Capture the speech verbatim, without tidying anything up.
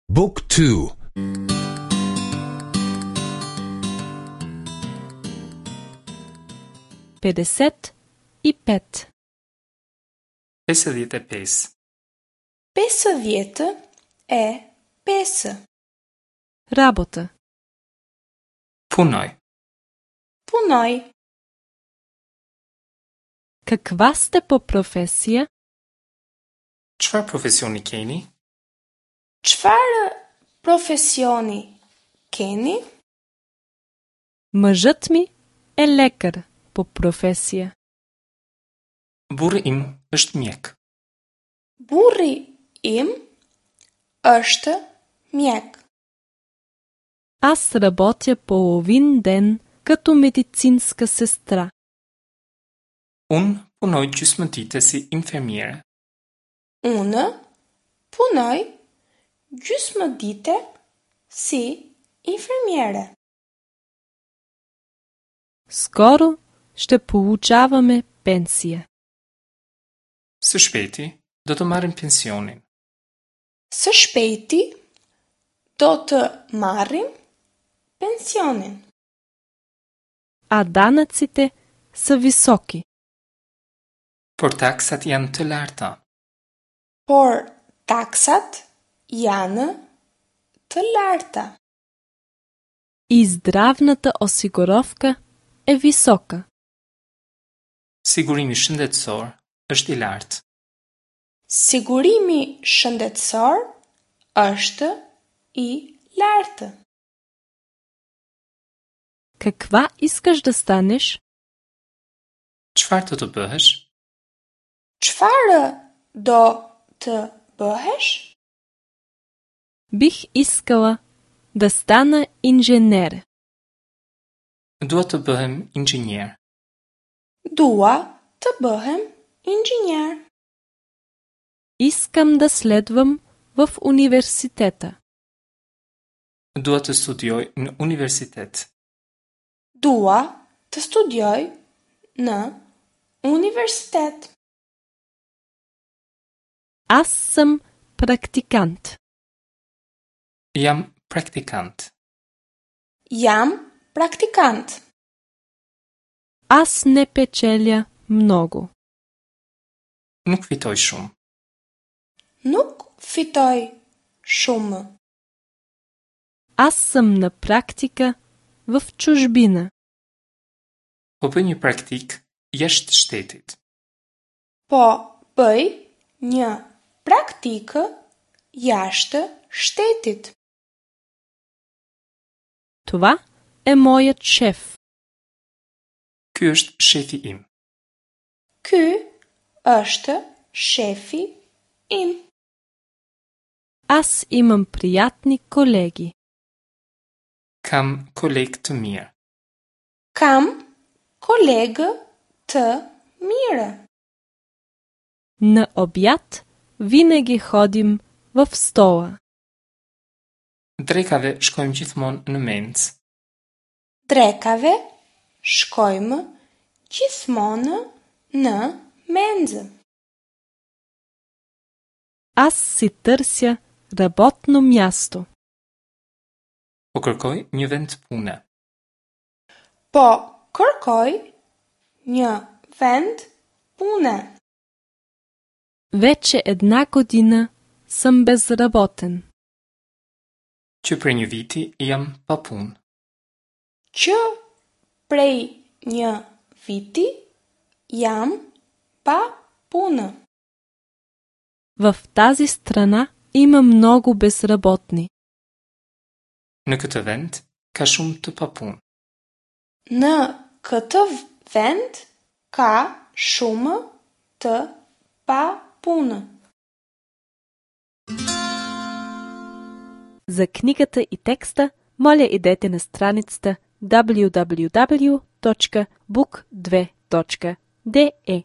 Book two. Педесет и пет. Pesëdhjetë e pesë. Pesëdhjetë e pesë. Работа. Punoj. Punoj. Каква сте по професия? Çfarë profesioni keni? Çfarë profesioni keni? Мъжът ми е лекар по професия. Burri im është mjek. Burri im është mjek. Аз работя половин ден като медицинска сестра. Unë punoj gjysmë dite si infermiere. Unë punoj gjysmë dite si infermiere. Скоро ще получаваме пенсия. Së shpejti do të marrim pensionin. Së shpejti do të marrim pensionin. А данъците са високи. Por taksat janë të larta. Por taksat janë të larta. И здравната осигуровка е висока. Sigurimi shëndetësor është i lartë. Sigurimi shëndetësor është i lartë. Каква искаш да станеш? Çfarë do të bëhesh? Çfarë do të bëhesh? Бих искала да стана инженер. Dua të bëhem inxhinier. Dua të bëhem inxhinier. Искам да следвам в университета. Dua të studioj në universitet. Dua të studioj në universitet. Аз съм практикант. Jam praktikant. Jam praktikant. Аз не печеля много. Nuk fitoj shumë. Nuk fitoj shumë. Аз съм на практика в чужбина. Po bëj një praktikë jashtë shtetit. Po bëj një praktikë jashtë shtetit. Това е моят шеф. Ky është shefi im. Ky është shefi im. Аз имам приятни колеги. Kam kolegë të mirë. Kam kolegë të mirë. На обяд винаги ходим в стола. Drekave shkojmë gjithmonë në mencë. Drekave shkojmë gjithmonë në menzë. Аз си търся работно място. Po kërkoj një vend pune. Po kërkoj një vend pune. Вече една година съм безработен. Që prej një viti jam pa punë. Që prej një viti jam pa punë. В тази страна има много безработни. Në këtë vend ka shumë të papunë. Në këtë vend ka shumë të papunë. За книгата и текста, моля идете на страницата w w w точка book две точка d e.